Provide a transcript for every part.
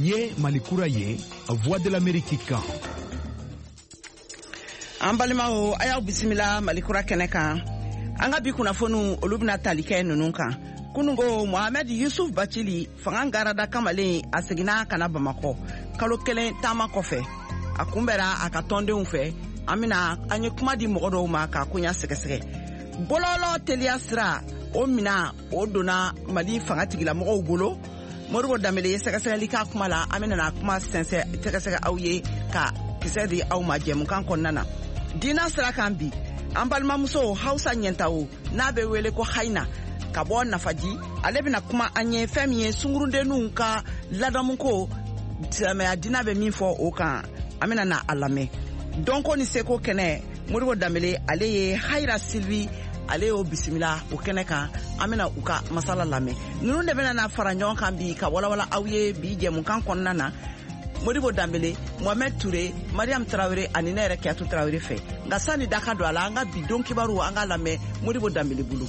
Nin ye Mali kura ye, Voix de l'Amérique kan. An balimaw, a y'aw bisimila Mali kura kɛnɛ kan. An ka bi kunnafoniw, olu bɛna tali kɛ ninnu kan. Kunungo, Mohamed Yusuf Bacili, fanga garada kamalen, a seginna ka na Bamakɔ kalo 1 taama kɔfɛ. A kunbɛra a ka tɔndenw fɛ. An bɛna an ye kuma di mɔgɔ dɔw ma k'a koɲa sɛgɛsɛgɛ. Bɔlɔlɔ teliya sira, o mina o donna Mali fanga tigilamɔgɔw bolo. Modibo Danbele ye sɛgɛsɛgɛli k'a kuma la. An bɛna kuma sɛnsɛn sɛgɛsɛgɛ aw ye ka kisɛ di aw ma jɛmukan kɔnɔna na. Diina sira kan bi, an balimamuso Hausa Ɲɛntawo, n'a bɛ wele ko Hayina, ka bɔ Nafaji, ale bɛna kuma an ye fɛn min ye sungurudenninw ka ladamuko, silamɛya diina bɛ min fɔ o kan. An bɛna na a lamɛn. Dɔnko ni seko kɛnɛ, Modibo Danbele, ale ye Hayira Silvi, ale y'o bisimila o kɛnɛ kan. An bɛna u ka masala lamɛn. Ninnu de bɛna na fara ɲɔgɔn kan bi ka walawala aw ye bi jɛmukan kɔnɔna na. Modibo Danbele, Mohamed Touré, Mariam Traoré ani ne yɛrɛ Kiyatu Traoré fɛ. Nka sani da ka don a la, an ka bi don kibaru, an ka lamɛn Modibo Danbele bolo.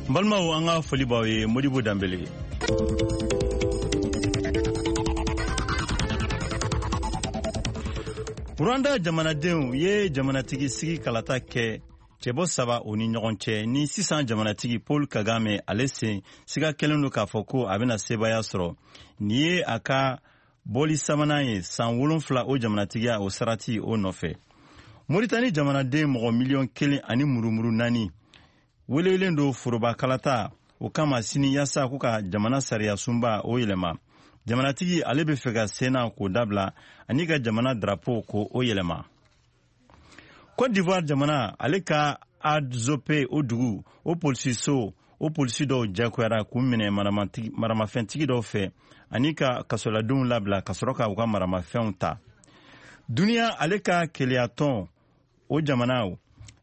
N balimaw, an ka foli b'aw ye. Modibo Danbele. Rwanda jamanadenw ye jamanatigi sigi kalata kɛ cɛbɔ saba o ni ɲɔgɔn cɛ, ni sisan jamanatigi Paul Kagame, ale sen siga kɛlen don k'a fɔ ko a bɛna sebaaya sɔrɔ. Nin ye a ka bɔli sabanan ye san 7 o jamanatigiya o sarati o nɔfɛ. Moritani jamanaden mɔgɔ miliyɔn 1 ani murumuru 4 welewelen don foroba kalata o kama sini, yaasa ko ka jamana sariya sunba o yɛlɛma. Jamanatigi, ale bɛ fɛ ka senna k'o dabila ani ka jamana drapeau ko o yɛlɛma. Cote d'Ivoire jamana, ale ka Adzope o dugu o polisiso o polisi dɔw jagoyara k'u minɛ maramafɛntigi dɔw fɛ ani ka kasoladenw labila ka sɔrɔ ka u ka maramafɛnw ta. Duniya ale ka keleyatɔn o jamanaw,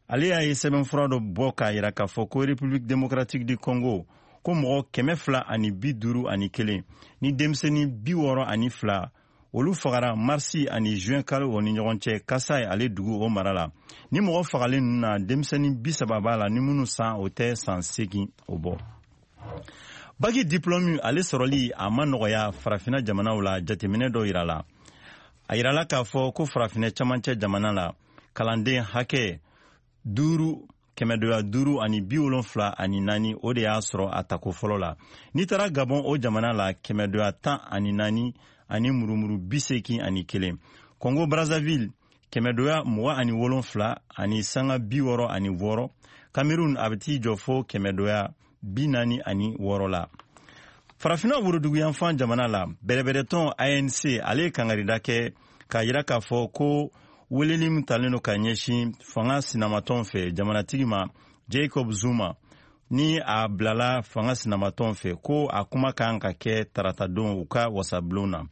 ale y'a ye sɛbɛnfura dɔ bɔ k'a yira k'a fɔ ko République démocratique du Congo, ko mɔgɔ 251 ni denmisɛnnin 62, olu fagara marisi ani juin kalo o ni ɲɔgɔn cɛ Kasai ale dugu o mara la. Ni mɔgɔ fagalen ninnu na, denmisɛnnin 30 b'a la ni minnu san o tɛ san 8 o bɔ. Baki diplɔmu ale sɔrɔli a ma nɔgɔya Farafina jamanaw la. Jateminɛ dɔ yira la, a yirala k'a fɔ ko Farafinɛ camancɛ jamana la, kalanden hakɛ duuru kɛmɛdoya duuru ani 74, o de y'a sɔrɔ a tako fɔlɔ la. N'i taara Gabɔn o jamana la, kɛmɛdoya 14 ani murumuru 81. Congo Brazzaville, kɛmɛdoya 27 ani sanga 66. Cameroun, a bɛ t'i jɔ fo kɛmɛdoya 46 la. Farafinna woroduguyanfan jamana la, bɛrɛbɛrɛtɔn ANC, ale ye kangarida kɛ k'a yira k'a fɔ ko weleli min talen don ka ɲɛsin fanga sinamatɔn fɛ jamanatigi ma Jacob Zuma, ni a bilala fanga sinamatɔn fɛ, ko a kuma kan ka kɛ taratadon u ka wasabulon na.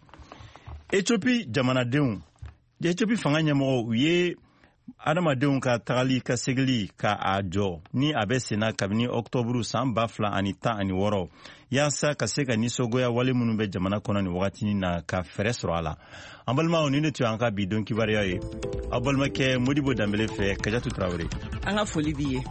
Ethiopie jamanadenw, Ethiopie fanga ɲɛmɔgɔw, u ye adamadenw ka tagali ka segili ka a jɔ ni a bɛ senna kabini ɔktɔburu san 2016, yaasa ka se ka nisɔngoya wale minnu bɛ jamana kɔnɔ nin wagatinin na, ka fɛɛrɛ sɔrɔ a la. An balimaw, nin de tun y'an ka bi don kibaruya ye aw balimakɛ Modibo Danbele fɛ. Kajatu Tarawele. An ka foli b'i ye.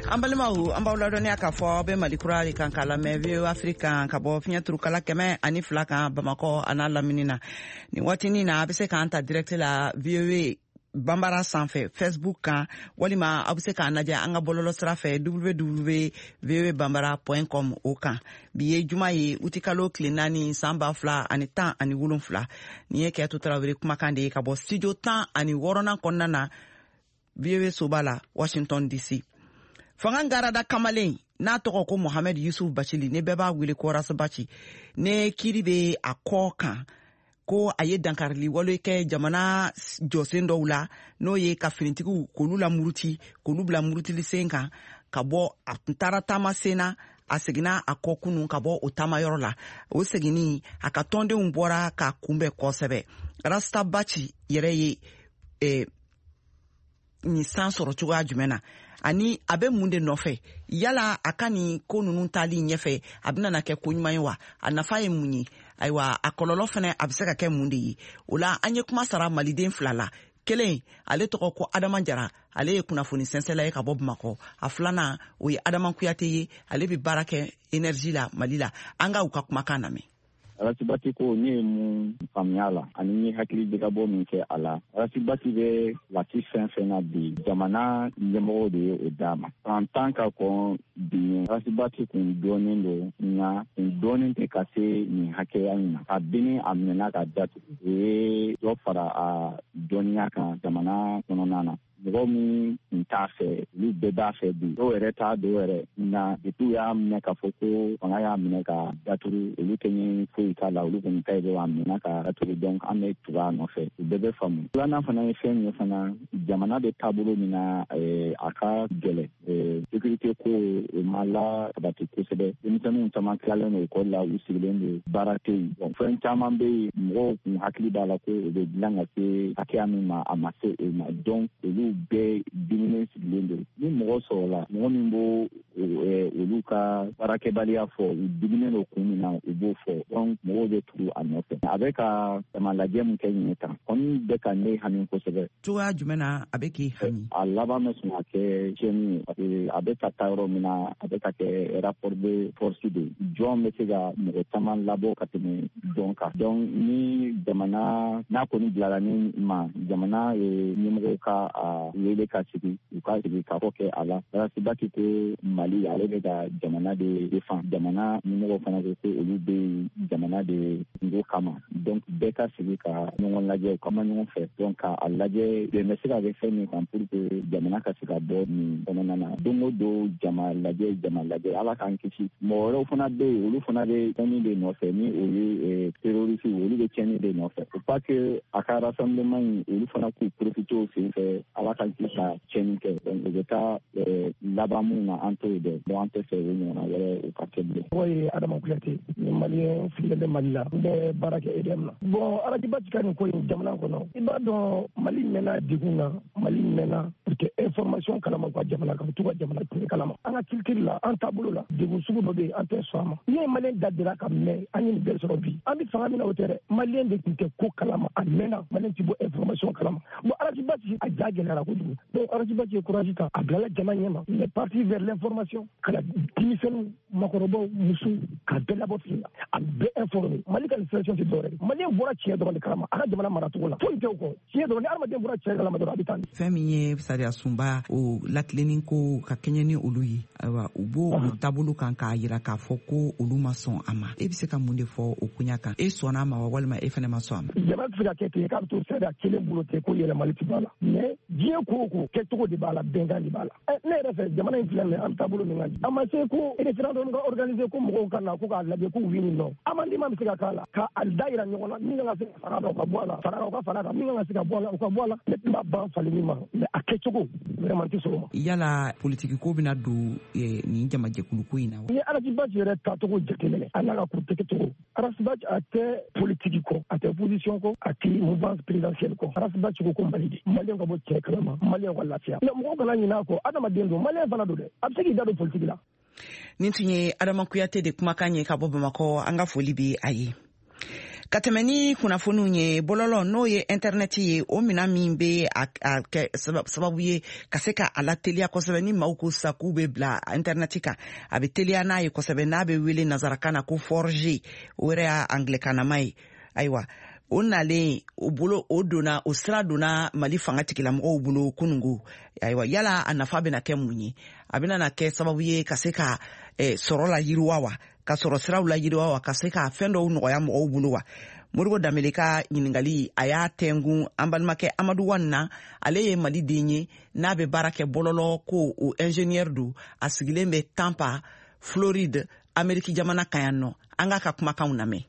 An balimaw, an b'aw ladɔnniya k'a fɔ aw bɛ Mali kura de kan k'a lamɛn VOA Afrique kan ka bɔ fiɲɛ turukala 102 kan Bamakɔ a n'a lamini na. Nin waatinin na, a bɛ se k'an ta direct la VOA Banbara sanfɛ Facebook kan, walima aw bɛ se k'an lajɛ an ka bɔlɔlɔ sira fɛ www voa banbara com o kan. Bi ye juma ye, utikalo tile 4, san 2017. Nin ye Kɛto Tarawele kumakan de ye ka bɔ studio 16nan kɔnɔna na, VOA soba la, Washington DC. Fanga garada kamalen n'a tɔgɔ ko Mohamed Yusuf Bacili, ne bɛɛ b'a wele ko Ras Bath, ne kiiri bɛ a kɔ kan ko a ye dankarili wale kɛ jamana jɔsen dɔw la, n'o ye ka finitigiw k'olu la muruti, k'olu bila murutili sen kan ka bɔ. A tun taara taama sen na, a seginna a kɔ kunun ka bɔ o taamayɔrɔ la. O seginni, a ka tɔndenw bɔra k'a kunbɛn kosɛbɛ. Ras Bath yɛrɛ ye nin san sɔrɔ cogoya jumɛn na, ani a bɛ mun de nɔfɛ? Yala a ka nin ko ninnu taali ɲɛfɛ, a bɛna na kɛ ko ɲuman ye wa? A nafa ye mun ye? Ayiwa, a kɔlɔlɔ fana, a bɛ se ka kɛ mun de ye o la? An ye kuma sara maliden fila la. Kelen, ale tɔgɔ ko Adama Jara, ale ye kunnafoni sɛnsɛla ye ka bɔ Bamakɔ. A filanan, o ye Adama Kuyate ye, ale bɛ baara kɛ énergie la Mali la. An ka u ka kumakan lamɛn. Ras Bath ko, ne ye mun faamuya la ani n ye hakili jagabɔ min kɛ a la, Ras Bath bɛ waati fɛn fɛn na bi, jamana ɲɛmɔgɔw de ye o d'a ma. San 10 ka kɔn bi ɲɛ, Ras Bath kun dɔɔnin don, nka kun dɔɔnin tɛ ka se nin hakɛya in ma. Kabini a minɛna ka datugu, o ye dɔ fara a dɔnniya kan jamana kɔnɔna na. Mɔgɔ min tun t'a fɛ, olu bɛɛ b'a fɛ bi. Dɔw yɛrɛ t'a dɔw yɛrɛ, nka depuis u y'a minɛ k'a fɔ ko fanga y'a minɛ ka datugu, olu tɛ ɲɛɲini foyi k'a la. Olu kɔni ta ye dɔrɔn a minɛ ka datugu, donc an bɛ tugu a nɔfɛ. U bɛɛ bɛ faamu. Filanan fana ye fɛn min ye fana, jamana bɛ taabolo min na, a ka gɛlɛn. Sécurité ko, o ma la sabati kosɛbɛ. Denmisɛnninw caman tilalen don ekɔli la, u sigilen don, baara tɛ yen. Bon, fɛn caman bɛ yen, mɔgɔw kun hakili b'a la ko o bɛ dilan ka se hakɛya min ma, a ma se o ma. Donc olu bɛɛ diminen sigilen don. Ni mɔgɔ sɔrɔla, mɔgɔ min b'o olu ka baarakɛbaliya fɔ, u diminen don kun min na, u b'o fɔ, donc mɔgɔw bɛ tugu a nɔfɛ. A bɛ ka jama lajɛ min kɛ ɲinɛ tan kɔni bɛ ka ne hami kosɛbɛ. Cogoya jumɛn na a bɛ k'i hami? A laban bɛ sɔn ka kɛ tiɲɛni ye, parce que a bɛ ka taa yɔrɔ min na, a bɛ ka kɛ rapport de force de. Jɔn bɛ se ka mɔgɔ caman labɔ ka tɛmɛ jɔn kan? Donc ni jamana n'a kɔni bilala ni ma, jamana ɲɛmɔgɔw ka a wele ka sigi, u ka sigi ka fɔ kɛ a la. Ras Bath ko Mali, ale bɛ ka jamana de défend. Jamana ɲɛmɔgɔw fana ko ko olu bɛ yen jamana de kungo kama. Donc bɛɛ ka sigi ka ɲɔgɔn lajɛ, u ka ma ɲɔgɔn fɛ, donc ka a lajɛ bɛn bɛ se ka kɛ fɛn min kan pour que jamana ka se ka bɔ nin kɔnɔna na. Don o don, jama lajɛ, jama lajɛ, Ala k'an kisi. Mɔgɔ wɛrɛw fana bɛ yen, olu fana bɛ tiɲɛni de nɔfɛ, ni o ye terroriste, olu bɛ tiɲɛni de nɔfɛ. Faut pas que a ka rassemblement in, olu fana k'u profiter o sen fɛ, Ala k'an kisi, ka tiɲɛni kɛ. Donc u bɛ taa laban mun na, an t'o dɔn. Donc an tɛ fɛ o ɲɔgɔnna wɛrɛ o ka kɛ bilen. Tɔgɔ ye Adama Kuyate ni Malien sigilen bɛ Mali la, n bɛ baara kɛ EDM na. Bon, Ras Bath ka nin ko in jamana kɔnɔ, i b'a dɔn Mali mɛnna degun na. Mali mɛnna u tɛ information kalama u ka jamana kan, u t'u ka jamana tiɲɛ kalama. An ka culture la, an taabolo la, degun sugu dɔ bɛ yen, an tɛ sɔn a ma. N'i ye Malien da dira ka mɛn, an ye nin bɛɛ sɔrɔ bi. An bɛ fanga min na, o tɛ dɛ. Malien de tun tɛ ko kalama a mɛnna, Malien tɛ bɔ information kalama. Bon, Ras Bath a ja gɛlɛyara kojugu. Donc Ras Bath ye courage ta, a bilala jama ɲɛma, il est parti vers l'information, ka na denmisɛnninw, makɔrɔbaw, musow, ka bɛɛ labɔ fili la, a bɛɛ informé. Mali ka nin situation tɛ dɔwɛrɛ ye, Malien bɔra tiɲɛ dɔrɔn de kalama a ka jamana maracogo la, foyi tɛ o kɔ, tiɲɛ dɔrɔn. Ni hadamaden bɔra tiɲɛ kalama dɔrɔn, a bɛ taa. Fɛn min ye sariya sunba o latilenni ko ka kɛɲɛ ni olu ye, ayiwa, u b'o o taabolo kan k'a yira k'a fɔ ko olu ma sɔn a ma. E bɛ se ka mun de fɔ o koɲa kan? E sɔnna a ma wa, walima e fɛnɛ ma sɔn a ma? Jama tɛ se ka kɛ ten k'a bɛ to sariya kelen bolo ten ko yɛlɛmali tɛ b'a la. Mais diɲɛ ko o ko, kɛcogo de b'a la, bɛnkan de b'a la. Ne yɛrɛ fɛ, jamana in filɛ nin ye, an bɛ taabolo min kan, a ma se ko référendum ka organiser ko mɔgɔw ka na ko k'a lajɛ ko oui ni non. Amendement bɛ se ka k'a la, ka a da yira ɲɔgɔn na. Min kan ka se ka fara a kan, o ka bɔ a la, fara kan, o ka fara kan. Min kan ka se ka bɔ a la, o ka bɔ a la. Ne tun b'a ban falenni ma, mais a kɛcogo vraiment tɛ sɔn o ma. Yala politiki ko bɛna don nin jamajɛkulu ko in na wa? Ni Ras Bath yɛrɛ tacogo jateminɛ, a n'a ka politique cogo, Ras Bath a tɛ politiki kɔ, a tɛ opposition kɔ, a tɛ mouvance présidentielle kɔ. Ras Bath ko ko Mali de, Malien ka bɔ cɛ kalama, Malien ka lafiya. Mais mɔgɔw kana ɲinɛ a kɔ, adamaden don, Malien fana don dɛ, a bɛ se k'i da don politiki la. Nin tun ye Adama Kuyate de kumakan ye ka bɔ Bamakɔ. An ka foli bɛ a ye. Ka tɛmɛ ni kunnafoniw ye, bɔlɔlɔ, n'o ye intɛrɛnɛti ye, o mina min bɛ a kɛ sababu ye ka se ka a lateliya kosɛbɛ, ni maaw ko sisan k'u bɛ bila intɛrɛnɛti kan, a bɛ teliya n'a ye kosɛbɛ, n'a bɛ wele nazarakan na ko 4G, o yɛrɛ y'a angilɛkanama ye. Ayiwa, o nalen o bolo, o donna, o sira donna Mali fanga tigilamɔgɔw bolo kunungo. Ayiwa, yala a nafa bɛna kɛ mun ye? A bɛna na kɛ sababu ye ka se ka sɔrɔ la yiriwa wa, ka sɔrɔ siraw la yiriwa wa, ka se ka fɛn dɔw nɔgɔya mɔgɔw bolo wa? Modibo Danbele ka ɲiningali, a y'a tɛngun an balimakɛ Amadu Wan na. Ale ye Mali den ye n'a bɛ baara kɛ bɔlɔlɔ ko, o ingénieur don. A sigilen bɛ Tampa, Floride, Ameriki jamana kan yan nɔ. An k'a ka kumakanw lamɛn.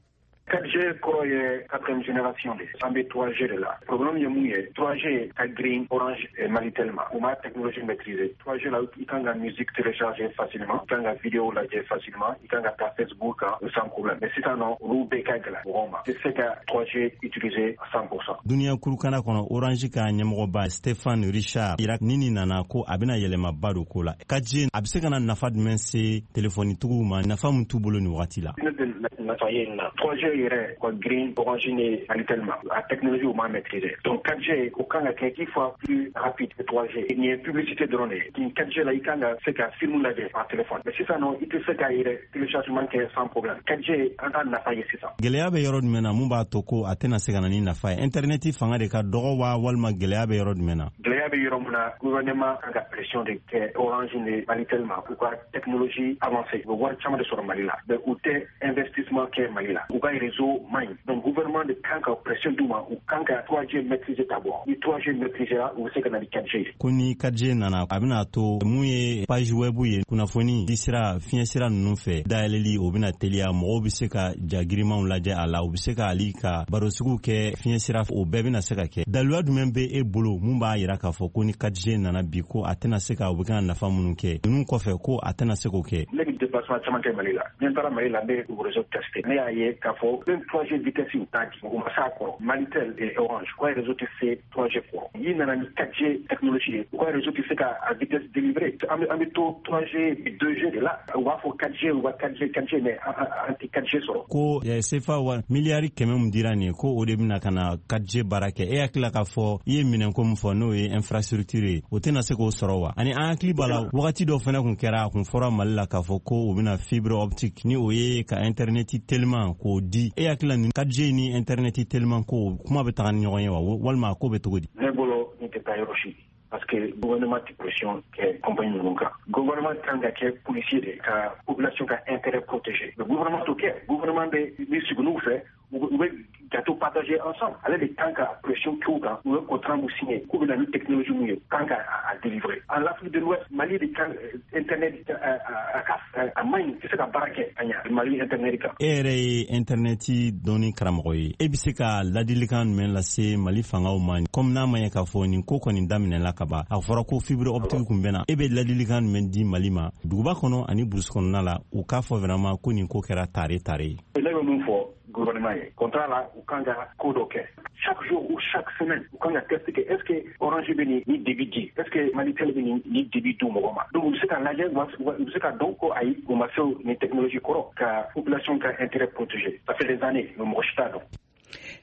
4G kɔrɔ ye quatrième génération de, an bɛ 3G de la. Problème ye mun ye? 3G ka girin Orange et Malitel ma, u ma technologie maîtriser. 3G la, i kan ka musique télécharger facilement, i kan ka vidéo lajɛ facilement, i kan ka taa Facebook kan sans problème. Mais sisan nɔ, olu bɛɛ ka gɛlɛn mɔgɔw ma, i tɛ se ka 3G utiliser à 100%. Duniya kurukana kɔnɔ, Orange ka ɲɛmɔgɔba Stéphane Richard yira ni nin nana ko a bɛna yɛlɛmaba don ko la. 4G a bɛ se ka na nafa jumɛn se telefonitigiw ma, nafa min t'u bolo nin wagati la? Ne bɛ nafa ye nin na. 3G yɛrɛ ka girin Orange ni Malitel ma, a technologie u m'a maîtriser. Donc 4G o kan ka kɛ 10 fois plus rapide que 3G. Nin ye publicité dɔrɔn de ye. Nin 4G la, i kan ka se ka film lajɛ par téléphone, mais sisan nɔ, i tɛ se k'a yɛrɛ téléchargement kɛ sans problème. 4G, an t'a nafa ye sisan. Gɛlɛya bɛ yɔrɔ jumɛn na mun b'a to ko a tɛna se ka na ni nafa ye? Internet fanga de ka dɔgɔ wa, walima gɛlɛya bɛ yɔrɔ jumɛn na? Gɛlɛya bɛ yɔrɔ min na, gouvernement kan ka pression de kɛ Orange ni Malitel ma, u ka technologie avancée. U bɛ wari caman de sɔrɔ Mali la, mais u tɛ investissement kɛ Mali la, u ka réseau man ɲi. Donc gouvernement de kan ka pression d'u ma, u kan ka 3G maîtriser d'abord. Ni 3G maîtriser la, u bɛ se ka na ni 4G ye. Ko ni 4G nana, a bɛna to mun ye page web ye, kunnafoni di sira, fiɲɛ sira ninnu fɛ dayɛlɛli, o bɛna teliya, mɔgɔw bɛ se ka ja girimanw lajɛ a la, u bɛ se ka hali ka barosigiw kɛ fiɲɛ sira, o bɛɛ bɛna se ka kɛ. Daluya jumɛn bɛ e bolo mun b'a yira k'a fɔ ko ni 4G nana bi, ko a tɛna se ka u bɛ ka nafa minnu kɛ ninnu kɔfɛ, ko a tɛna se k'o kɛ? Ne bɛ déplacement caman kɛ Mali la. Ni n taara Mali la, n bɛ réseau tester. Ne y'a ye k'a fɔ même 3G vitesse u t'a di, u ma s'a kɔrɔ. Malitel et Orange, u ka réseau tɛ se 3G kɔrɔ. N'i nana ni 4G technologie ye, u ka réseau tɛ se ka a vitesse délivrer. An bɛ to 3G, 2G de la. U b'a fɔ 4G, u ka 4G, 4G, mais an tɛ 4G sɔrɔ. Ko CFA wa miliyari 100 min dira nin ye, ko o de bɛna ka na 4G baara kɛ, e hakili la k'a fɔ i ye minɛnko min fɔ, n'o ye infrastructure ye, o tɛna se k'o sɔrɔ wa? Ani an hakili b'a la, wagati dɔ fana kun kɛra, a kun fɔra Mali la k'a fɔ ko u bɛna fibre optique, ni o ye ka internet teliman k'o di. E hakili la, nin 4G ni internet teliman ko kuma bɛ taga ni ɲɔgɔn ye wa, walima a ko bɛ cogo di? Ne bolo, nin tɛ taa yɔrɔ si, parce que gouvernement tɛ pression kɛ compagnie ninnu kan. Gouvernement kan ka kɛ policier de ka population ka intérêt protéger, mais gouvernement t'o kɛ. Gouvernement bɛ ni sigi fɛ, u bɛ gâteau partager ensemble. Ale de kan ka pression k'u kan. U ye contrat mun signé k'u bɛ na ni technologie mun ye, kan ka a délivrer. En Afrique de l'Ouest, Mali de kan internet a ka a man ɲi, tɛ se ka baara kɛ ka ɲa Mali internet kan. E yɛrɛ ye internet dɔnni karamɔgɔ ye, e bɛ se ka ladilikan jumɛn lase Mali fangaw ma, komi n'a ma ɲɛ k'a fɔ nin ko kɔni daminɛla ka ban, a fɔra ko fibre optique kun bɛ na? E bɛ ladilikan jumɛn di Mali ma, duguba kɔnɔ ani burusi kɔnɔna la, u k'a fɔ vraiment ko nin ko kɛra tare tare ye? Ne bɛ mun fɔ gouvernement ye? Contrat la, u kan ka ko dɔ kɛ chaque jour ou chaque semaine, u kan ka test kɛ: est ce que Orange bɛ nin ni débit di, est ce que Malitel bɛ nin ni débit di mɔgɔ ma? Donc u bɛ se ka lajɛ, u bɛ se ka dɔn ko ayi, u ma se nin technologie kɔrɔ ka population ka intérêt protéger. Ça fait des années, mais mɔgɔ si t'a dɔn.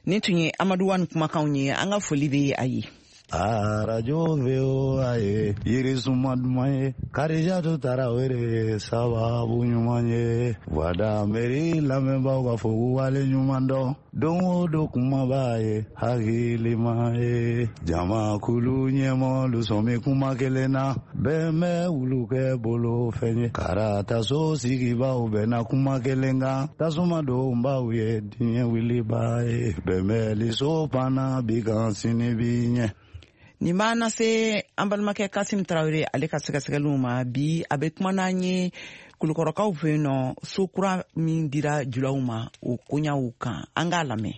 Nin tun ye Amadu Wani kumakanw ye. An ka foli bɛ a ye. Arajo VOA ye yirisuma duman ye, Karijatu Tarawele sababu ɲuman ye. Voix d'Amérique lamɛnbaaw ka fɔ k'u wale ɲuman dɔn. Don o don kumaba ye hakilima ye, jamakulu ɲɛmɔgɔlu sɔn kuma kelen na, bɛn bɛ wulu kɛ bolo fɛn ye, karataso sigibaw bɛnna kuma kelen kan, tasuma donbaw ye diɲɛ wiliba ye, bɛnbɛnliso panna bi kan, sini bi ɲɛ. Nin b'an lase an balimakɛ Kasim Tarawele, ale ka sɛgɛsɛgɛliw ma. Bi, a bɛ kuma n'an ye Kulukɔrɔkaw fɛ yen nɔ, so kura min dira julaw ma, o koɲaw kan. An k'a lamɛn.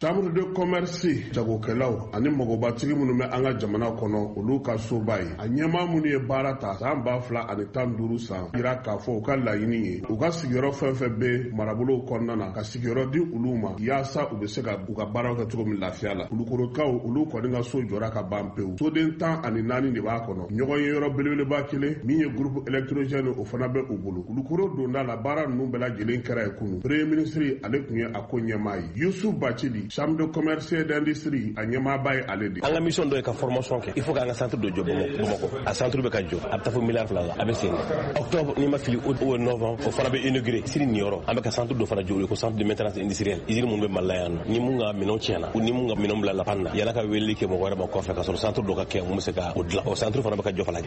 Chambre de commerce, jagokɛlaw ani magobatigi minnu bɛ an ka jamana kɔnɔ, olu ka soba ye, a ɲɛmaa minnu ye baara ta san 2015 san yira k'a fɔ u ka laɲini ye, u ka sigiyɔrɔ fɛn fɛn bɛ marabolow kɔnɔna na, ka sigiyɔrɔ di olu ma yaasa u bɛ se ka u ka baaraw kɛ cogo min lafiya la. Kulukorokaw, olu kɔni ka so jɔra ka ban pewu. Soden 14 de b'a kɔnɔ. Ɲɔgɔn ye yɔrɔ belebeleba kelen min ye groupe électrogène, o fana bɛ u bolo Kulukoro donda la. Baara ninnu bɛɛ lajɛlen kɛra yen kunu. Premier ministre, ale tun ye a ko ɲɛmaa ye. Yusuf Bacili, Chambre de commerce et d'industrie, a ɲɛmaaba ye ale de. An ka mission dɔ ye ka formation kɛ. Il faut k'an ka centre dɔ jɔ Bamakɔ. A centre bɛ ka jɔ, a bɛ taa fo miliyari 2 la, a bɛ sen octobre n'i ma fili ou novembre, o fana bɛ inauguré. Sini nin yɔrɔ, an bɛ ka centre dɔ fana jɔ, o ko centre de maintenance industrielle. Usine minnu bɛ Mali la yan nɔ, ni mun ka minɛnw tiɲɛna, ni mun ka minɛnw bila la panne na, yala ka weleli kɛ mɔgɔ wɛrɛ ma kɔfɛ, ka sɔrɔ centre dɔ ka kɛ mun bɛ se ka o dilan, o centre fana bɛ ka jɔ fana.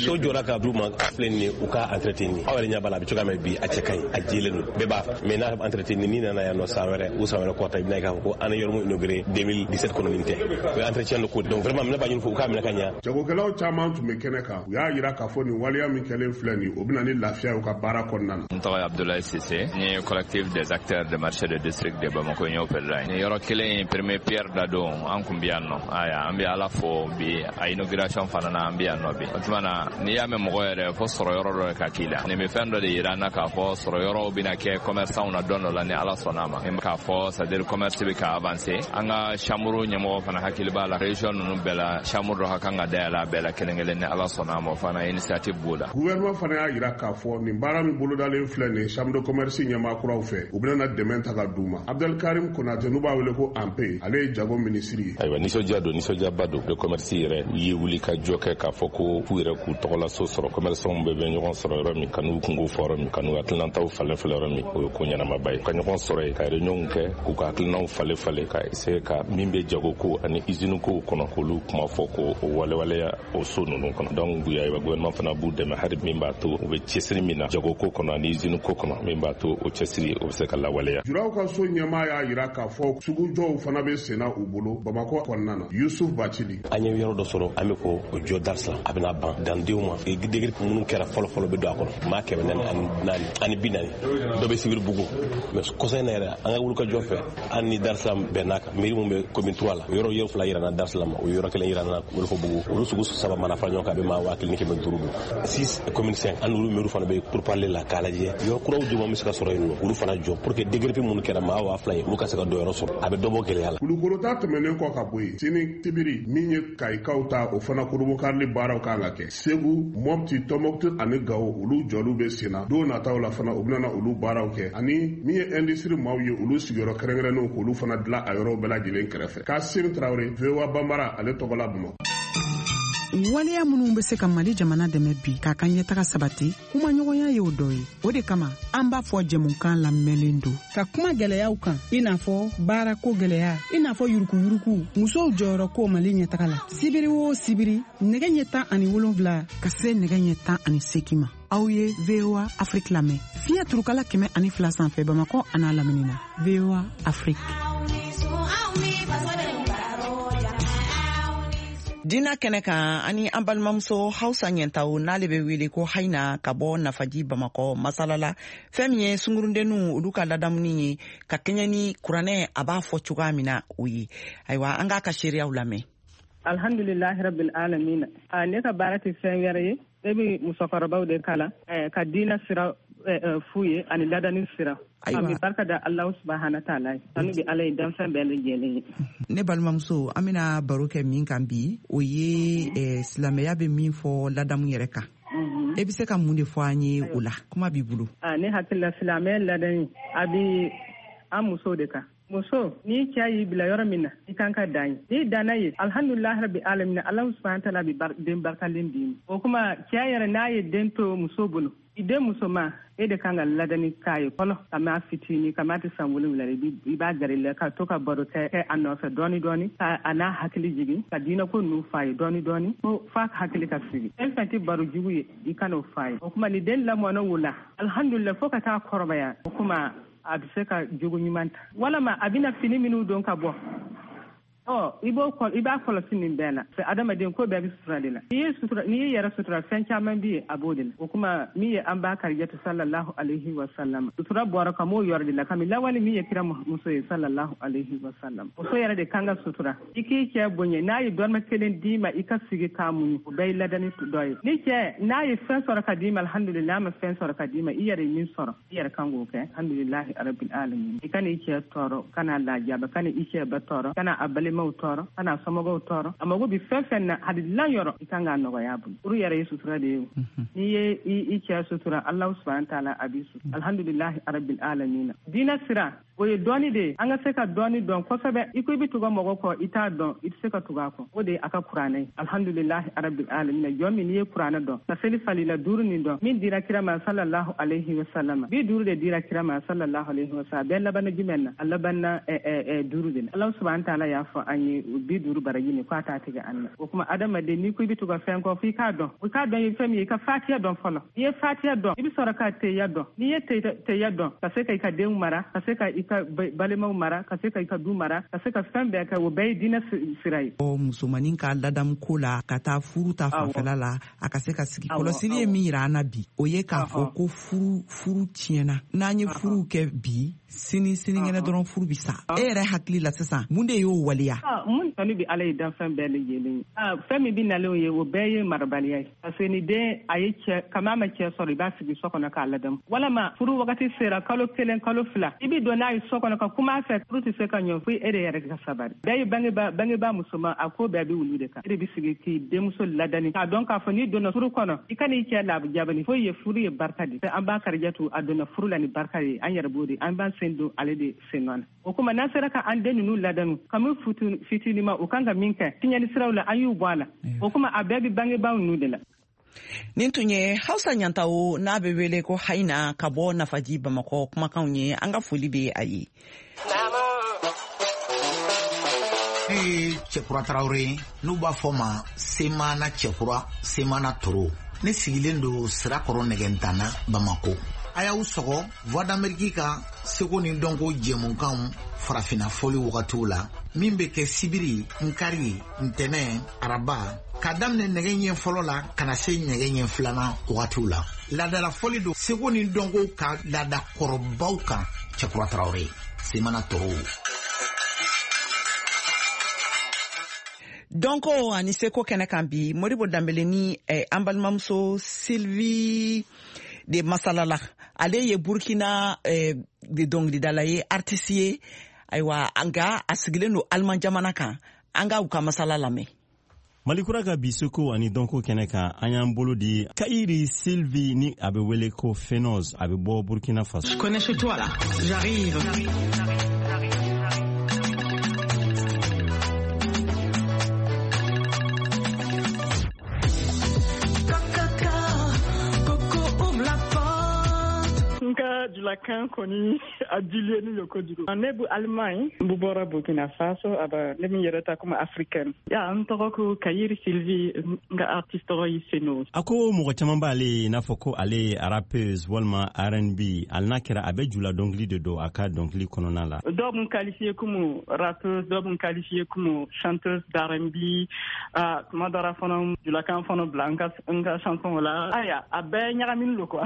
So jɔra ka d'u ma, filɛ nin ye, u ka entretenir. Aw yɛrɛ ɲɛ b'a la, a bɛ cogoya min bi, a cɛ ka ɲi, a jɛlen don, bɛɛ b'a fɛ. Mais n'a entretenir, ni nana yan nɔ san wɛrɛ ou san wɛrɛ kɔta, i bɛna ye k'a fɔ ko an ye yɔrɔ min inauguré 2017 kɔnɔ, nin tɛ o ye entretien de ko. Donc vraiment, ne b'a ɲini fo u k'a minɛ ka ɲa. Jagokɛlaw caman tun bɛ kɛnɛ kan. U y'a yira k'a fɔ nin waleya min kɛlen filɛ nin, o bɛna ni lafiya u ka baara kɔnɔna na. N tɔgɔ ye Abdoulaye Cissé, n ye collectif des acteurs de marché de district de Bamako, n y'o président ye. Nin yɔrɔ kelen in premier pierre da don, an kun bi yan nɔ. Aya, an bɛ Ala fo bi, a inauguration fana na, an bi yan nɔ bi. O tuma na, n'i y'a mɛn mɔgɔ yɛrɛ fo sɔrɔ yɔrɔ dɔ ka k'i la, nin bɛ fɛn dɔ de yira an na k'a fɔ sɔrɔ yɔrɔw bɛna kɛ commerçant na don dɔ la, ni Ala sɔnna a ma. K'a fɔ, c'est à dire commerce bɛ bɛ ka avancer. An ka chambre ɲɛmɔgɔ fana hakili b'a la région ninnu bɛɛ la, chambre dɔ ka kan ka dayɛlɛ a bɛɛ la kelen kelen, ni Ala sɔnna a ma, o fana initiative b'o la. Gouvernement fana y'a yira k'a fɔ nin baara min bolodalen filɛ nin chambre de commerce ɲɛmaa kuraw fɛ, u bɛna dɛmɛ ta ka d'u ma. Abdelkarim Konate, n'u b'a wele ko Anpe, ale ye jago minisiri ye. Ayiwa, nisɔndiya don, nisɔndiyaba don. De commerce yɛrɛ u ye wuli ka jɔ kɛ k'a fɔ ko k'u yɛrɛ k'u tɔgɔlaso sɔrɔ, commerçants bɛɛ bɛ ɲɔgɔn sɔrɔ yɔrɔ min, ka n'u kungo fɔ yɔrɔ min, ka n'u hakilinataw falen falen yɔrɔ min, o ye ko ɲɛnamaba ye. Ka ɲɔgɔn sɔrɔ yen, ka réunion kɛ, k'u ka hakilinaw falen falen, ka essayer ka min bɛ jago ko ani usine kow kɔnɔ, k'olu kuma fɔ, k'o walewaleya o so ninnu kɔnɔ. Donc ayiwa, gouvernement fana b'u dɛmɛ hali min b'a to u bɛ cɛsiri min na jago ko kɔnɔ ani usine ko kɔnɔ, min b'a to o cɛsiri o bɛ se ka lawaleya. Juraw ka so ɲɛmaa y'a yira k'a fɔ sugujɔw fana bɛ senna u bolo Bamakɔ kɔnɔna na. Yusuf Bacili. An ye yɔrɔ dɔ sɔrɔ, an bɛ ko o jɔ Darisa, a bɛna ban dandenw ma. Degere minnu kɛra fɔlɔ fɔlɔ bɛ don a kɔnɔ, maa 440, dɔ bɛ Sibiri Bugu. Mais kɔsa in na yɛrɛ, an ka wulikajɔ fɛ, an ni Darisa bɛnn'a kan, mairie mun bɛ commune 3 la, yɔrɔ 2 yira na Darisa ma, o yɔrɔ 1 yira na Wolofo-Bugu. Olu sugu 3 mana fara ɲɔgɔn kan, a bɛ maa 1500 don. 6 commune 5, an n'olu mairie fana bɛ pourparlers la k'a lajɛ yɔrɔ kuraw jumɛn bɛ se ka sɔrɔ yen nɔ, olu fana jɔ pour que degere minnu kɛra maa 2000 ye, olu ka se ka dɔ yɔrɔ sɔrɔ, a bɛ dɔ bɔ gɛlɛya la. Kulukoro ta tɛmɛnen kɔ ka bɔ yen, sini sibiri min ye Kayikaw ta, o fana kurunbonkarili baaraw kan ka kɛ. Segu, Mopti, Tɔnbɔkutu ani Gawo, olu jɔliw bɛ sen na. Don nataw la fana, u bɛna olu baaraw kɛ, ani min ye industrie maaw ye, olu sigiyɔrɔ kɛrɛnkɛrɛnnenw k'olu fana dilan a yɔrɔw bɛɛ lajɛlen kɛrɛfɛ. Kasim Tarawele, VOA Banbara, ale tɔgɔ la Bamakɔ. Waleya minnu bɛ se ka Mali jamana dɛmɛ bi k'a ka ɲɛtaga sabati, kumaɲɔgɔnya y'o dɔ ye. O de kama an b'a fɔ jɛmukan lamɛnlen don ka kuma gɛlɛyaw kan, i n'a fɔ baarako gɛlɛya, i n'a fɔ yurukuyuruku, musow jɔyɔrɔ ko Mali ɲɛtaga la. Sibiri o sibiri, nɛgɛ ɲɛ 17 ka se nɛgɛ ɲɛ 18 ma, aw ye VOA Afrique lamɛn fiɲɛ turukala 102 sanfɛ Bamakɔ an'a lamini na. VOA Afrique. Dina kɛnɛ kan, ani an balimamuso Hausa Ɲɛntaw, n'ale bɛ wele ko Hayina, ka bɔ Nafaji Bamakɔ, masala la fɛn min ye sungurundenninw olu ka ladamuni ye ka kɛɲɛ ni kuranɛ a b'a fɔ cogoya min na, o ye. Ayiwa, an k'a ka seereyaw lamɛn. Alhamdulilahi rabbil alamin. Ne ka baara tɛ fɛn wɛrɛ ye, ne bɛ musokɔrɔbaw de kalan ka diinɛ sira f'u ye ani ladani sira. An bɛ barika da Alahu subahana taala ye, tanu bɛ Ala ye danfɛn bɛɛ lajɛlen ye. Ne balimamuso, an bɛna baro kɛ min kan bi, o ye silamɛya bɛ min fɔ ladamu yɛrɛ kan. E bɛ se ka mun de fɔ an ye o la? Kuma b'i bolo. Ne hakili la, silamɛya ladani a bɛ an musow de kan. Muso, ni cɛ y'i bila yɔrɔ min na, i kan ka dan ye. N'i danna ye, alhamdulilahi rabbi alamin, Alahu subahana taala bɛ den barikalen d'i ma. O kuma, cɛ yɛrɛ n'a ye den to muso bolo, i den musoman, e de kan ka ladani k'a ye fɔlɔ, ka fitinin, ka tɛ san 7, i b'a gɛrɛ la ka to ka baro kɛ a nɔfɛ dɔɔni dɔɔni, ka a n'a hakili jigin, ka diinɛ ko ninnu f'a ye dɔɔni dɔɔni, fo f'a hakili ka sigi. Fɛn fɛn tɛ baro jugu ye, i kan'o f'a ye. O kuma, ni den lamɔna o la, alhamdulilah, fo ka taa kɔrɔbaya, o kuma a bɛ se ka jogo ɲuman ta, walama a bɛna fini minnu don ka bɔ, ɔ i b'o i b'a kɔlɔsi nin bɛɛ la. Adamaden ko bɛɛ bɛ sutura de la. N'i y'i yɛrɛ sutura, fɛn caman bɛ yen, a b'o de la. O kuma, min ye an b'a Karijatu sallallahu alayhi wa sallam, sutura bɔra ka m'o yɔrɔ de la, kami lawale min ye kira muso ye sallallahu alayhi wa sallam. Muso yɛrɛ de kan ka sutura. I k'i cɛ bonya, n'a ye dɔrɔmɛ kelen d'i ma, i ka sigi k'a muɲu, o bɛɛ ye ladani dɔ ye. Ni cɛ n'a ye fɛn sɔrɔ ka d'i ma, alhamdulilah, n'a ma fɛn sɔrɔ ka d'i ma, i yɛrɛ ye min sɔrɔ, i yɛrɛ kan k'o kɛ, alhamdulilahi rabbil alamin. I kana i cɛ tɔɔrɔ, kana lajaba, kana i cɛ ba tɔɔrɔ, kana a balimaw tɔɔrɔ, kana somɔgɔw tɔɔrɔ. A mago bɛ fɛn fɛn na, hali dilan yɔrɔ, i kan k'a nɔgɔya a bolo. Furu yɛrɛ ye sutura de ye. N'i ye i cɛ sutura, Alahu subahana taala a b'i sutura. Alhamdulilahi rabbil alamin. Diinɛ sira, o ye dɔɔni de ye. An ka se ka dɔɔni dɔn kosɛbɛ. I ko i bɛ tugu mɔgɔ kɔ, i t'a dɔn, i tɛ se ka tugu a kɔ. O de ye a ka kuranɛ ye. Alhamdulilahi rabbil alamin. Jɔn min n'i ye kuranɛ dɔn, ka seli falila 5 nin dɔn, min dira kira ma sallallahu alayhi wa sallam, 50 de dira kira ma sallallahu alayhi wa sallam. A bɛɛ labanna jumɛn na? A labanna 5 de la. Ala subahana taala y'a fɔ an ye 50 baraji nin k'a t'a tigɛ an na. O kuma, adamaden, n'i ko i bɛ tugu fɛn kɔ, f'i k'a dɔn. I k'a dɔn ye fɛn min ye, i ka fatiya dɔn fɔlɔ. N'i ye fatiya dɔn, i bɛ sɔrɔ ka teya dɔn. N'i ye teya dɔn, ka se ka i ka denw mara, ka se ka i ka balimaw mara, ka se ka i ka du mara, ka se ka fɛn bɛɛ kɛ, o bɛɛ ye diinɛ sira ye. Musomanin ka ladamu ko la, ka taa furu ta fanfɛla la, a ka se ka sigi. Kɔlɔsili ye min yira an na bi, o ye k'a fɔ ko furu tiɲɛna. N'an ye furu kɛ bi, sini sinikɛnɛ dɔrɔn furu bi sa. E yɛrɛ hakili la sisan, mun de y'o waleya? ya? Mun tanu bɛ Ala ye danfɛn bɛɛ lajɛlen ye. Fɛn min bɛ nalen ye, o bɛɛ ye marabaliya ye. Parce que ni den a ye cɛ kama ma cɛ sɔrɔ, i b'a sigi so kɔnɔ k'a ladamu. Walama furu wagati sera, kalo 1, kalo 2, i bɛ don n'a ye so kɔnɔ ka kuma a fɛ, furu tɛ se ka ɲɔ fo e de yɛrɛ ka sabari. Bɛɛ ye bangeba musoman, a ko bɛɛ bɛ wulu de kan. E de bɛ sigi k'i denmuso ladani k'a dɔn k'a fɔ n'i donna furu kɔnɔ, i kan'i cɛ labjabani foyi ye. Furu ye barika de. An b'a Karijatu, a donna furu la ni barika ye, an yɛrɛ b'o de, an b'an sen don ale de sen nɔ na. O kuma n'an sera ka an den ninnu ladanu kami fitinima, u kan ka min kɛ tiɲɛni siraw la, an y'u bɔ a la. O kuma a bɛɛ bɛ bangebaaw ninnu de la. Nin tun ye Hausa Ɲantawo, n'a bɛ wele ko Hayina, ka bɔ Nafaji Bamakɔ kumakanw ye. An ka foli bɛ a ye. Ne ye Cɛkura Tarawele ye, n'u b'a fɔ ma Semana Cɛkura, Semana Toro. Ne sigilen don Sirakɔrɔ Nɛgɛntana, Bamako. A y'aw sɔgɔ Voix d'Amérique ka seko ni dɔnko jɛmukanw farafinna fɔli wagatiw la, min bɛ kɛ sibiri, nkari, ntɛnɛn, araba, k'a daminɛ nɛgɛ ɲɛ fɔlɔ la ka na se nɛgɛ ɲɛ filanan wagatiw la. Laadala fɔli don seko ni dɔnko ka laada kɔrɔbaw kan. Cɛkura Tarawele, Semana Toro. Dɔnko ani seko kɛnɛ kan bi, Modibo Danbele ni an balimamuso Sylvie de masalala. Ale ye Burkina de dɔnkilidala ye, artiste ye. Ayiwa, nka a sigilen don Aliman jamana kan. An ka u ka masala lamɛn. Malikura ka bi seko ani dɔnko kɛnɛ kan, an y'an bolo di Kayiri Sylvie, ni a bɛ wele ko Fenoz, a bɛ bɔ Burkina Faso. Je connais chez toi là, j'arrive. Julakan kɔni a diliyeni yo kojugu. Ne bu Allemagne, n bu bɔra Burkina Faso, aba ne min yɛrɛ ta comme africaine. Ya n tɔgɔ ko Kayiri Sylvie, n ka artiste tɔgɔ ye Seno. A ko mɔgɔ caman b'ale ye n'a fɔ ko ale ye rappeuse walima R&B, hali n'a kɛra a bɛ jula dɔnkili de don a ka dɔnkili kɔnɔna la. Dɔw b'n qualifié comme rappeuse, dɔw b'n qualifié comme chanteuse d'R&B, tuma dɔ la fana julakan fana bila n ka chanson la. Aya, a bɛɛ ɲagaminen don quoi.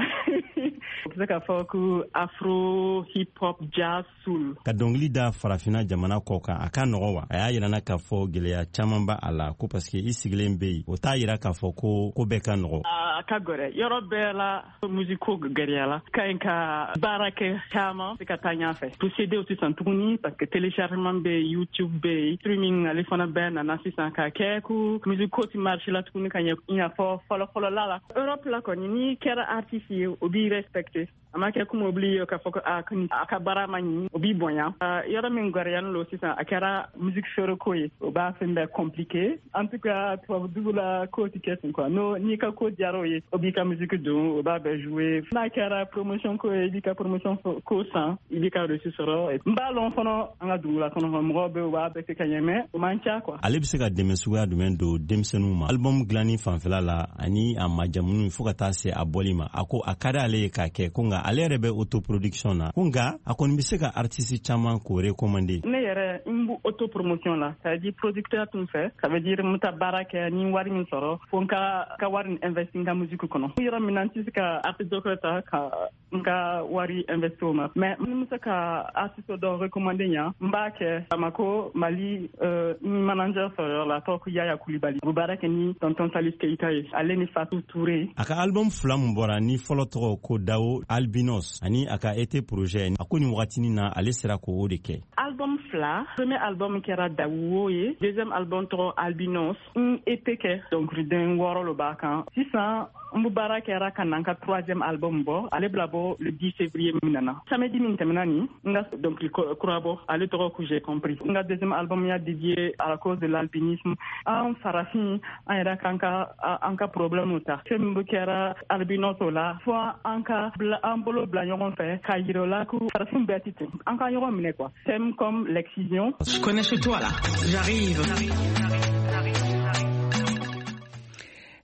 O bɛ se k'a fɔ ko afro, hip hop, jazz, soul. Ka dɔnkili da farafinna jamana kɔ kan, a ka nɔgɔ wa? A y'a yira na k'a fɔ gɛlɛya caman b'a a la, ko parce que i sigilen bɛ yen, o t'a yira k'a fɔ ko ko bɛɛ ka nɔgɔ. A ka gɛlɛn yɔrɔ bɛɛ la, musique ko gɛlɛya la. Ka ɲi ka baara kɛ caman se ka taa ɲɛfɛ. To CD sisan tuguni, parce que téléchargement bɛ yen, YouTube bɛ yen, streaming ale fana bɛɛ nana sisan ka kɛ ko musique ko ti marché la tuguni ka ɲɛ i n'a fɔ fɔlɔ-fɔlɔla la. Europe la kɔni, n'i kɛra artiste ye, o b'i respecté. A ma kɛ komi obli k'a fɔ ko a ka baara ma ɲi, o b'i bonya. Yɔrɔ min gɛrɛyalen don sisan, a kɛra musique feere ko ye, o b'a fɛn bɛɛ compliqué. En tout cas, tubabu dugu la ko ti kɛ ten quoi. N'o n'i ka ko diyara o ye, o b'i ka musique don, o b'a bɛɛ jouer. N'a kɛra promotion ko ye, i b'i ka promotion ko san, i b'i ka reçu sɔrɔ. N b'a lɔn fana an ka dugu la kɔnɔ, mɔgɔw bɛ yen, u b'a bɛɛ kɛ ka ɲɛ, mais o man ca quoi. Ale bɛ se ka dɛmɛ suguya jumɛn don denmisɛnninw ma album dilanni fanfɛla la ani a majamuni fo ka taa se a bɔli ma? A ko a ka di ale ye k'a kɛ, ko nka ale yɛrɛ bɛ autoproduction na, ko nka a kɔni bɛ se ka artiste caman k'o recommander. Ne yɛrɛ n b'o autopromotion la, ça veut dire producteur tun fɛ, ça veut dire n bɛ taa baara kɛ ni wari min sɔrɔ, fo n ka wari nin investir n ka musique kɔnɔ. Yɔrɔ min na n tɛ se ka artiste dɔ ta ka n ka wari investir o ma, mais n bɛ se ka artiste dɔ recommander ɲa, n b'a kɛ Bamako Mali n manager sɔrɔ yɔrɔ la, a tɔgɔ ko Yaya Kulibali. A bɛ baara kɛ ni tonton Salif Keita ye, ale ni Fatou Touré. A ka album fila mun bɔra, ni fɔlɔ tɔgɔ ko Dawo Albinos ani a ka été projet, a ko nin wagatinin na ale sera k'o de kɛ. Album fila, premier album kɛra Dawo ye, deuxième album tɔgɔ Albinos. N EP kɛ dɔnkiliden 6 lo b'a kan. Sisan n bɛ baara kɛra ka na n ka troisième album bɔ, ale bila bɔ le 10 février min nana. Samedi min tɛmɛna nin, n ka dɔnkili kura bɔ, ale tɔgɔ ko J'ai compris. N ka deuxième album y'a dédié à la cause de l'albinisme. An farafin, an yɛrɛ k'an ka an ka problème ta. Fɛn min bɛ kɛra albinos o la, fo an ka an bolo bila ɲɔgɔn fɛ k'a yira o la ko farafin bɛɛ tɛ ten. An ka ɲɔgɔn minɛ quoi. Thème comme l'excision. Je connais chez toi là, j'arrive.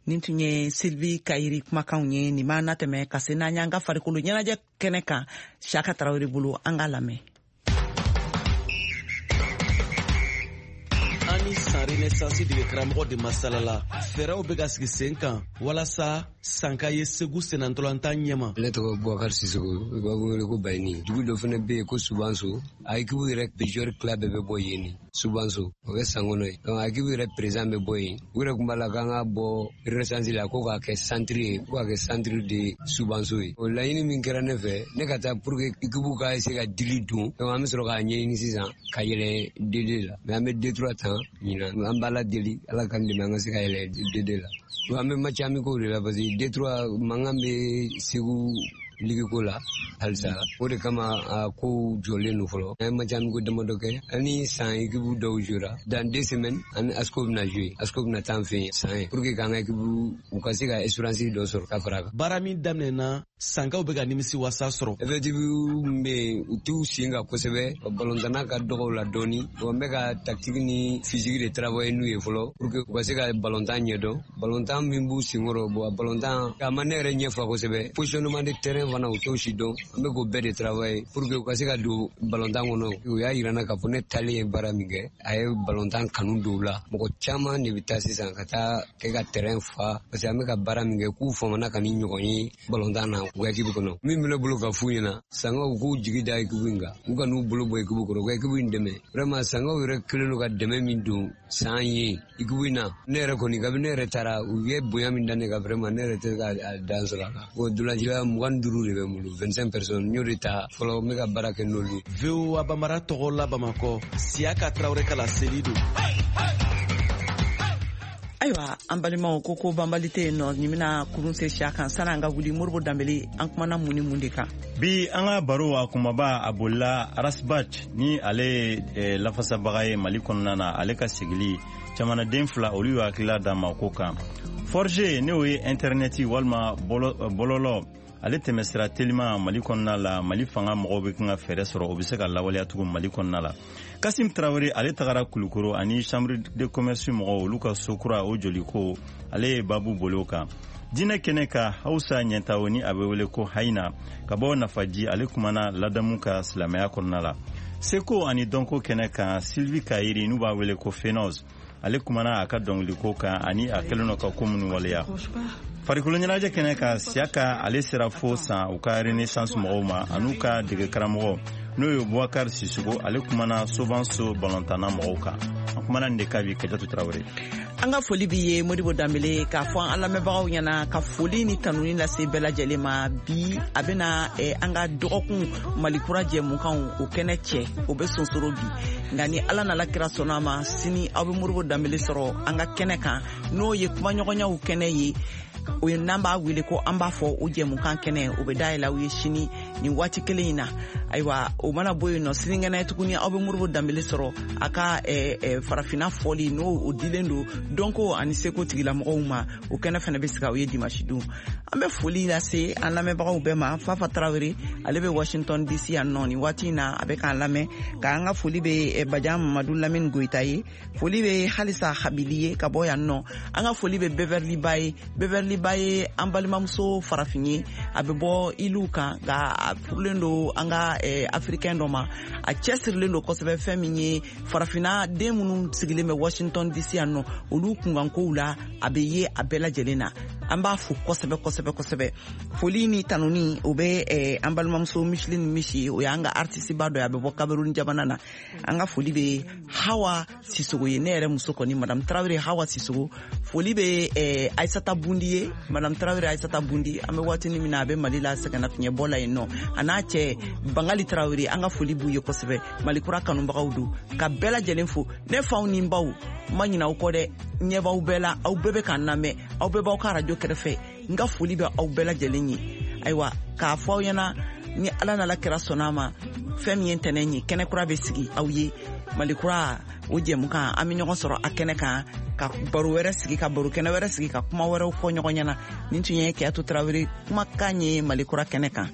Nin tun ye Sylvie Kayiri kumakanw ye. Nin b'an natɛmɛ ka se n'an y'an ka farikolo ɲɛnajɛ kɛnɛ kan Siyaka Tarawele bolo. An k'a lamɛn. An ni San Renaissance dege karamɔgɔ de masala la, fɛɛrɛw bɛ ka sigi sen kan walasa san ka ye Segu sennantolatan ɲɛma. Ne tɔgɔ Bubakari Sisoko, u b'a wele ko Bayini. Dugu dɔ fana bɛ yen ko Subanso, a équipe yɛrɛ bɛ joueur tila bɛɛ bɛ bɔ yen. Soubance, o kɛ san kɔnɔ ye. Donc équipe yɛrɛ président bɛ bɔ yen, u yɛrɛ tun b'a la k'an ka bɔ Renaissance la ko k'a kɛ centre ye, ko k'a kɛ centre de Soubance ye. O laɲini min kɛra ne fɛ, ne ka taa pour que équipe ka se ka dili don. Donc an bɛ sɔrɔ k'a ɲɛɲini sisan ka yɛlɛ D2 la. Mais an bɛ D3 tan ɲinan, an b'Ala deli, Ala k'an dɛmɛ an ka se ka yɛlɛ D2 la. Donc an bɛ match amicaux de la parce que D3 mankan bɛ Segu ligue ko la halisa, o de kama a kow jɔlen don fɔlɔ. An ye match amicaux damadɔ kɛ, ani san équipe dɔw jouera. Dans 2 semaines ani ASCO bɛna jouer, ASCO bɛna taa an fɛ yen san ye pour que k'an ka équipe u ka se ka espérance dɔ sɔrɔ ka fara a kan. Baara min daminɛna, sankaw bɛ ka nimisi wasa sɔrɔ. Effectif min bɛ yen, u t'u sen kan kosɛbɛ, balontanna ka dɔgɔ u la dɔɔni. N bɛ ka tactique ni physique de travailler n'u ye fɔlɔ pour que u ka se ka balontan ɲɛdɔn. Balontan min b'u senkɔrɔ, bon balontan a ma ne yɛrɛ ɲɛfa kosɛbɛ. Positionnement de terrain fana u t'o si dɔn. N bɛ k'o bɛɛ de travailler pour que u ka se ka don balontan kɔnɔ. U y'a yira n na k'a fɔ ne taalen ye baara min kɛ, a ye balontan kanu don u la. Mɔgɔ caman de bɛ taa sisan ka taa kɛ ka terrain fa, parce que an bɛ ka baara min kɛ, k'u famana ka ni ɲɔgɔn ye balontan na u ka équipe kɔnɔ. Min bɛ ne bolo ka f'u ɲɛna, sankaw k'u jigi da équipe in kan, u ka n'u bolo bɔ équipe kɔrɔ, u ka équipe in dɛmɛ. Vraiment sankaw yɛrɛ kɛlen don ka dɛmɛ min don san ye équipe in na, ne yɛrɛ kɔni kabi ne yɛrɛ taara, u ye bonya min da ne kan, vraiment ne yɛrɛ tɛ se ka dan sɔrɔ a la. Bon dolancila 25 de bɛ n bolo, 25 personnes, n y'o de ta fɔlɔ, n bɛ ka baara kɛ n'olu ye. VOA Bambara tɔgɔ la Bamakɔ, Siyaka Tarawele ka laseli don. Ayiwa an balimaw, ko banbali tɛ yen nɔ, nin bɛna kurun se siya kan. Sani an ka wuli, Moribo Danbele, an kumana mun ni mun de kan? Bi an ka baro a kumaba a bolila Ras Bath, ni ale ye lafasabaga ye Mali kɔnɔna na, ale ka sigili jamanaden fila olu y'u hakilila d'a ma ko kan. 4G, n'o ye intɛrɛnɛti walima bɔlɔlɔ, ale tɛmɛsira telima Mali kɔnɔna la, Mali fanga mɔgɔw bɛ kan ka fɛɛrɛ sɔrɔ o bɛ se ka lawaleya tugun Mali kɔnɔna la. Kasim Tarawele, ale tagara Kulukoro ani chambre de commerce mɔgɔw, olu ka so kura o joliko, ale ye babu boli o kan. Diinɛ kɛnɛ ka Hausa Ɲɛtawo, ni a bɛ wele ko Hayina, ka bɔ Nafaji, ale kumana ladamu ka silamɛya kɔnɔna la. Seko ani dɔnko kɛnɛ kan, Sylvie Kayiri, n'u b'a wele ko Fenoz, ale kumana a ka dɔnkiliko kan ani a kɛlen don ka ko minnu waleya. Farikolo ɲɛnajɛ kɛnɛ kan, Siyaka ale sera fo san u ka Renaissance mɔgɔw ma an'u ka dege karamɔgɔ, n'o ye Boubacar Sissoko, ale kumana Sobanso balontanna mɔgɔw kan. An kumana nin de kan bi. Kajatu Tarawele. An ka foli b'i ye Modibo Danbele, k'a fɔ an lamɛnbagaw ɲɛna ka foli ni tanuni lase bɛɛ lajɛlen ma. Bi a bɛna an ka dɔgɔkun Malikura jɛmukanw o kɛnɛ cɛ, o bɛ sonsoro bi, nka ni Ala nana kira sɔnna a ma, sini aw bɛ Modibo Danbele sɔrɔ an ka kɛnɛ kan, n'o ye kumaɲɔgɔnyaw kɛnɛ ye, o ye n'an b'a wele ko an b'a fɔ o jɛmukan kɛnɛ, o bɛ dayɛlɛ aw ye sini nin waati kelen in na. Ayiwa o mana bɔ yen nɔ, sinikɛnɛ tuguni aw bɛ Modibo Danbele sɔrɔ a ka farafinna fɔli, n'o o dilen don dɔnko ani seko tigilamɔgɔw ma, o kɛnɛ fana bɛ sigi aw ye dimanche don. An bɛ foli lase an lamɛnbagaw bɛɛ ma. Fafa Tarawele, ale bɛ Washington DC yan nɔ nin waati in na, a bɛ k'an lamɛn. K'an ka foli bɛ Bajan Mamadu Lamini Goyita ye, foli bɛ Halisa Habili ye ka bɔ yan nɔ. An ka foli bɛ Beverly Ba ye. Beverly Ba ye an balimamuso farafin ye, a bɛ bɔ iliw kan, nka a furulen don an ka africain dɔ ma. A cɛsirilen don kosɛbɛ fɛn min ye farafinna den minnu sigilen bɛ Washington DC yan nɔ, olu kunkankow la, a bɛ ye a bɛɛ lajɛlen na. An b'a fo kosɛbɛ kosɛbɛ kosɛbɛ. Foli ni tanuni o bɛ an balimamuso Micheline Misi, o y'an ka artiste ba dɔ ye, a bɛ bɔ Cameroun jamana na. An ka foli bɛ Hawa Sisoko ye, ne yɛrɛ muso kɔni Madame Tarawele Hawa Sisoko. Foli bɛ Aissata Bundi ye, Madame Tarawele Aissata Bundi, an bɛ waati min na a bɛ Mali la sɛgɛnnafiɲɛbɔ la yen nɔ, a n'a cɛ Bangali Tarawele, an ka foli b'u ye kosɛbɛ. Malikura kanubagaw don, ka bɛɛ lajɛlen fo. Ne faw ni n baw, n ma ɲinɛ aw kɔ dɛ, ɲɛ b'aw bɛɛ la, aw bɛɛ bɛ k'an lamɛn, aw bɛɛ b'aw ka arajo kɛrɛfɛ. N ka foli bɛ aw bɛɛ lajɛlen ye. Ayiwa k'a fɔ aw ɲɛna, ni Ala nana kira sɔnna a ma, fɛn min ye ntɛnɛn ye, kɛnɛ kura bɛ sigi aw ye, Malikura o jɛmukan, an bɛ ɲɔgɔn sɔrɔ a kɛnɛ kan ka baro wɛrɛ sigi, ka baro kɛnɛ wɛrɛ sigi, ka kuma wɛrɛw fɔ ɲɔgɔn ɲɛna. Nin tun ye Keyatu Tarawele kumakan ye Malikura kɛnɛ kan.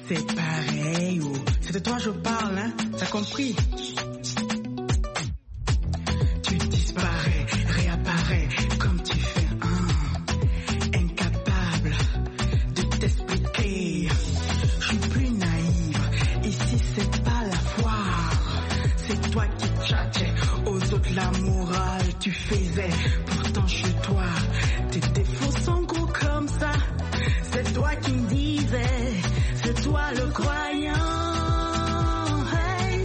C'est pareil, oh. C'est de toi je parle, hein, t'as compris? Tu disparais, réapparais, comme tu fais un, incapable de t'expliquer. Je suis plus naïve, ici c'est pas la foire. C'est toi qui tchatchais aux autres la morale, tu faisais. Pourtant chez toi, tes défauts sont gros comme ça. C'est toi qui me disais, c'est toi le croyant. Hey,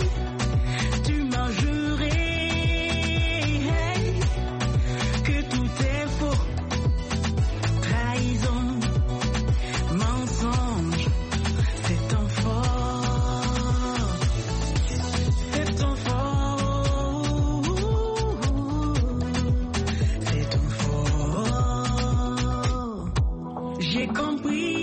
J'ai compris.